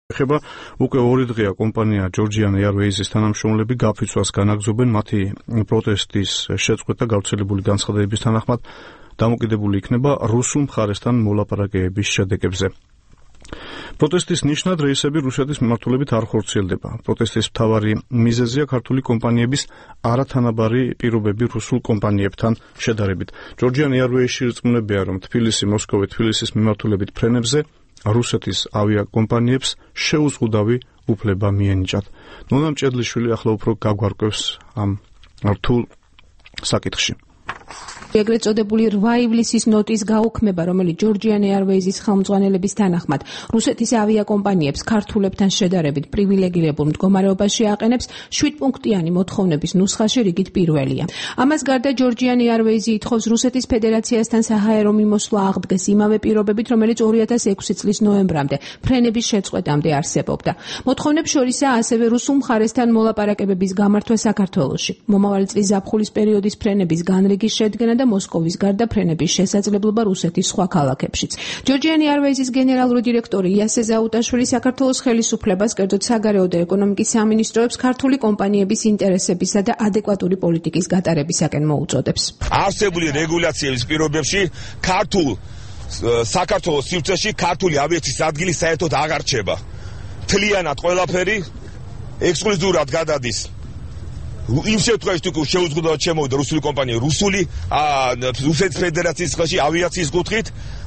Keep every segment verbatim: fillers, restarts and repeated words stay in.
ეხება უკვე ორი დღეა კომპანია Georgian Airways-ის თანამშრომლები გაფიცვას განაგრძობენ მათი პროტესტის შეწყვეტა გავრცელებული განცხადებების თანახმად დამოკიდებული იქნება რუსულ მხარესთან მოლაპარაკებების შედეგებზე. პროტესტის ნიშნად რეისები რუსეთის მიმართულებით არ ხორციელდება. პროტესტის მთავარი მიზეზია ქართული კომპანიების არათანაბარი პირობები რუსულ კომპანიებთან შედარებით. Georgian Airways-ში რწმუნებია, რომ თბილისი, მოსკოვი, თბილისის მიმართულებით ფრენებზე რუსეთის ავიაკომპანიებს შეუზღუდავი უფლება მიენიჭათ. ნონა მჭედლიშვილი ახლა უფრო გაგვარკვევს ამ რთულ საკითხში. ეგრეთ წოდებული რვა ივლისის ნოტის გაუქმება, რომელიც Georgian Airways-ის ხელმძღვანელების თანახმად რუსეთის ავიაკომპანიებს ქართულებთან შედარებით პრივილეგირებულ მდგომარეობაში აყენებს, შვიდ პუნქტიანი მოთხოვნების ნუსხაში რიგით პირველია. ამას გარდა Georgian Airways-ი ითხოვს რუსეთის ფედერაციასთან საჰაერო მიმოსვლა აღდგეს იმავე პირობებით, რომელიც ორი ათას ექვსი წლის ნოემბრამდე ფრენების შეწყვეტამდე არსებობდა. მოთხოვნებს შორისაა ასევე რუსულ მხარესთან მოლაპარაკებების გამართვა საქართველოში. მომავალი წლის ზაფხულის პერიოდის ფრენების განრიგის შედგენა და მოსკოვის გარდა ფრენების შესაძლებლობა რუსეთის სხვა ქალაქებშიც. Georgian Airways-ის გენერალური დირექტორი იასე ზაუტაშვილი საქართველოს ხელისუფლებას, კერძოდ საგარეო და ეკონომიკის სამინისტროებს ქართული კომპანიების ინტერესებისა და ადეკვატური პოლიტიკის გატარებისაკენ მოუწოდებს. არსებული რეგულაციების პირობებში ქართულ საქართველოს სივრცეში ქართული ავიაციის ადგილი საერთოდ აღარ რჩება. მთლიანად ყველაფერი ექსკლუზიურად გადადის იმ შემთხვევაში თუ შეუზღუდავად შემოვიდა რუსული კომპანია რუსული რუსეთის ფედერაციის ხელში ავიაციის კუთხით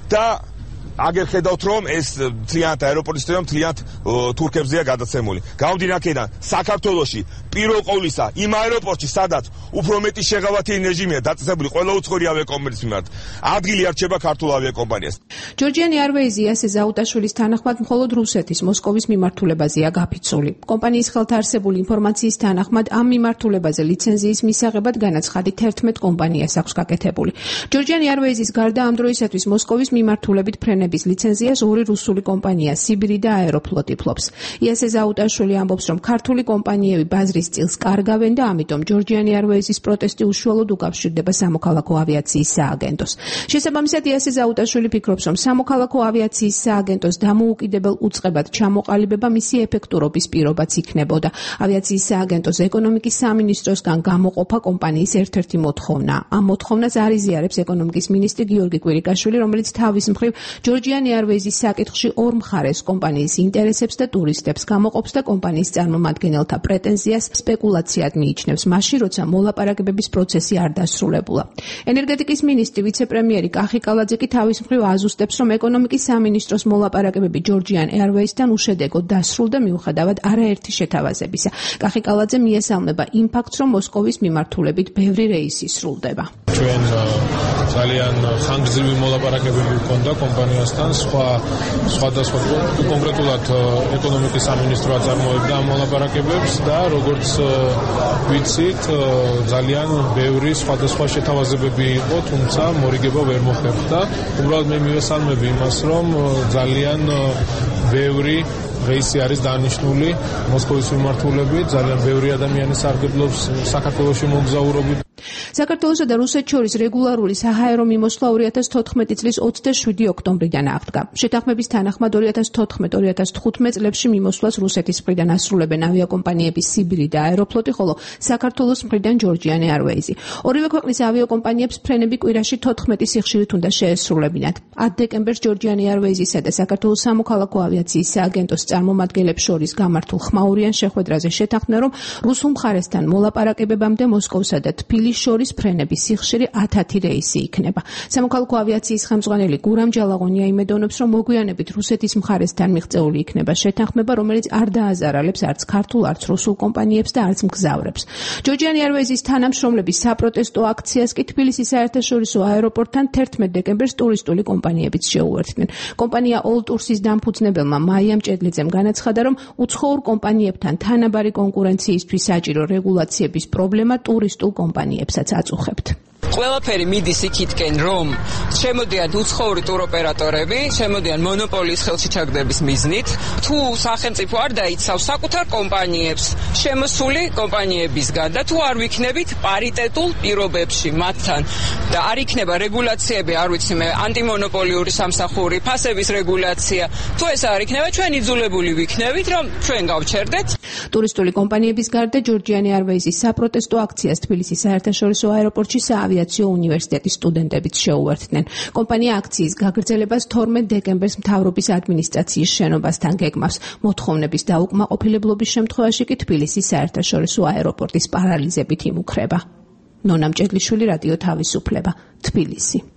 და აგერ ხედავთ რომ ეს მთლიანად აეროპორტის სისტემა მთლიანად თურქებზეა გადაცემული. გამომდინარე აქედან საქართველოში პირველ ყოვლისა იმ აეროპორტში სადაც უფრო მეტი შეღავათიანი რეჟიმია დაწესებული ყველა უცხოური ავიაკომპანიის მიმართ ადგილი არ რჩება ქართულ ავიაკომპანიას. Georgian Airways-ი იასე ზაუტაშვილის თანახმად მხოლოდ რუსეთის მოსკოვის მიმართულებაზეა გაფიცული. კომპანიის ხელთ არსებული ინფორმაციის თანახმად ამ მიმართულებაზე ლიცენზიის მისაღებად განაცხადი თერთმეტ კომპანიას აქვს გაკეთებული. Georgian Airways-ის გარდა ამ დროისათვის მოსკოვის მიმართულებით ფრენების ლიცენზიას ორი რუსული კომპანია სიბირი და აეროფლოტი ფლობს. იასე ზაუტაშვილი ამბობს, რომ ქართული კომპანიები ბაზრის წილს კარგავენ და ამიტომ Georgian Airways-ის პროტესტი უშუალოდ უკავშირდება სამოქალაქო ავიაციის სააგენტოს. შესაბამისად, იასე ზაუტაშვილი ფიქრობს, რომ სამოქალაქო ავიაციის სააგენტოს დამოუკიდებელ უწყებად ჩამოყალიბება მისი ეფექტურობის პირობაც იქნებოდა. ავიაციის სააგენტოს ეკონომიკის სამინისტროსგან გამოყოფა კომპანიის ერთ-ერთი მოთხოვნა. ამ მოთხოვნას არ იზიარებს ეკონომიკის მინისტრი გიორგი კვირიკაშვილი, რომელიც თავის მხრივ Georgian Airways-ის საკითხში ორ მხარეს კომპანიის ინტერესებს და ტურისტებს გამოყოფს და კომპანიის წარმომადგენელთა პრეტენზიას სპეკულაციად მიიჩნევს, მაშინ როცა მოლაპარაკებების პროცესი არ დასრულებულა. ენერგეტიკის მინისტრი ვიცე-პრემიერი კახი კალაძე კი თავის მხრივ აზუსტებს, რომ ეკონომიკის სამინისტროს მოლაპარაკებები Georgian Airways-თან უშედეგოდ დასრულდა მიუხედავად არაერთი შეთავაზებისა. კახი კალაძე მიესალმება იმ ფაქტს, რომ მოსკოვის მიმართულებით ბევრი რეისი სრულდება. ჩვენ ძალიან ხანგრძლივი მოლაპარაკებები ჰქონდა კომპანიასთან, სხვა სხვადასხვა კონკრეტულად ეკონომიკის სამინისტრო აწარმოებდა ამ მოლაპარაკებებს და როგორც ვიცით, ძალიან ბევრი სხვადასხვა შეთავაზებები იყო, თუმცა მორიგება ვერ მოხერხდა. უბრალოდ მე მივესალმები იმას, რომ ძალიან ბევრი რეისი არის დანიშნული მოსკოვის მიმართულებით, ძალიან ბევრი ადამიანი სარგებლობს საქართველოში მოგზაურობით. საქართველოსა და რუსეთს შორის რეგულარული საჰაერო მიმოსვლა ორი ათას თოთხმეტი წლის ოცდაშვიდი ოქტომბრიდან აღდგა. შეთანხმების თანახმად ორი ათას თოთხმეტ ორი ათას თხუთმეტ წლებში მიმოსვლას რუსეთის მხრიდან ასრულებენ ავიაკომპანიების სიბირი და აეროფლოტი, ხოლო საქართველოს მხრიდან Georgian Airways-ი. ორივე ქვეყნის ავიაკომპანიებს ფრენები კვირაში თოთხმეტი სიხშირით უნდა შეესრულებინათ. ათ დეკემბერს Georgian Airways-ისა და საქართველოს სამოქალაქო ავიაციის სააგენტოს წარმომადგენლებს შორის გამართულ ხმაურიან შეხვედრაზე შეთანხმდა, რომ რუსულ მხარესთან მოლაპარაკებებამდე მოსკოვსა და თბილისს შორის ფრენების სიხშირე ათათი რეისი იქნება. სამოქალაქო ავიაციის ხელმძღვანელი გურამ ჯალაღონია იმედოვნებს, რომ მოგვიანებით რუსეთის მხარესთან მიღწეული იქნება შეთანხმება, რომელიც არ დააზარალებს არც ქართულ, არც რუსულ კომპანიებს და არც მგზავრებს. Georgian Airways-ის თანამშრომლების საპროტესტო აქციას კი თბილისის საერთაშორისო აეროპორტთან თერთმეტ დეკემბერს ტურისტული კომპანიებიც შეუერთდნენ. კომპანია All Tours-ის დამფუძნებელმა მაია მჭედლიძემ განაცხადა, რომ უცხოურ კომპანიებთან თანაბარი კონკურენციისთვის საჭირო რეგულაციების პრობლემა ტურისტულ კომპანიებსაც აწუხებთ. ყველაფერი მიდის იქითკენ, რომ შემოდიან უცხოური ტუროპერატორები, შემოდიან მონოპოლიის ხელში ჩაგდების მიზნით, თუ სახელმწიფო არ დაიცავს საკუთარ კომპანიებს შემოსული კომპანიებისგან და თუ არ ვიქნებით პარიტეტულ პირობებში მათთან და არ იქნება რეგულაციები, არ ვიცი მე, ანტიმონოპოლიური სამსახური, ფასების რეგულაცია, თუ ეს არ იქნება, ჩვენ იძულებული ვიქნებით, რომ ჩვენ გავჩერდეთ. ტურისტული კომპანიების გარდა ჯორჯიანი არვეიზის საპროტესტო აქციას თბილისის საერთაშორისო აეროპორტში საავიაციო უნივერსიტეტის სტუდენტებიც შეუერთდნენ. კომპანია აქციის გაგრძელებას თორმეტ დეკემბერს მთავრობის ადმინისტრაციის შენობასთან გეგმავს. მოთხოვნების დაუკმაყოფილებლობის შემთხვევაში კი თბილისის საერთაშორისო აეროპორტის პარალიზებით იმუქრება. ნონა მჭედლიშვილი, რადიო თავისუფლება, თბილისი.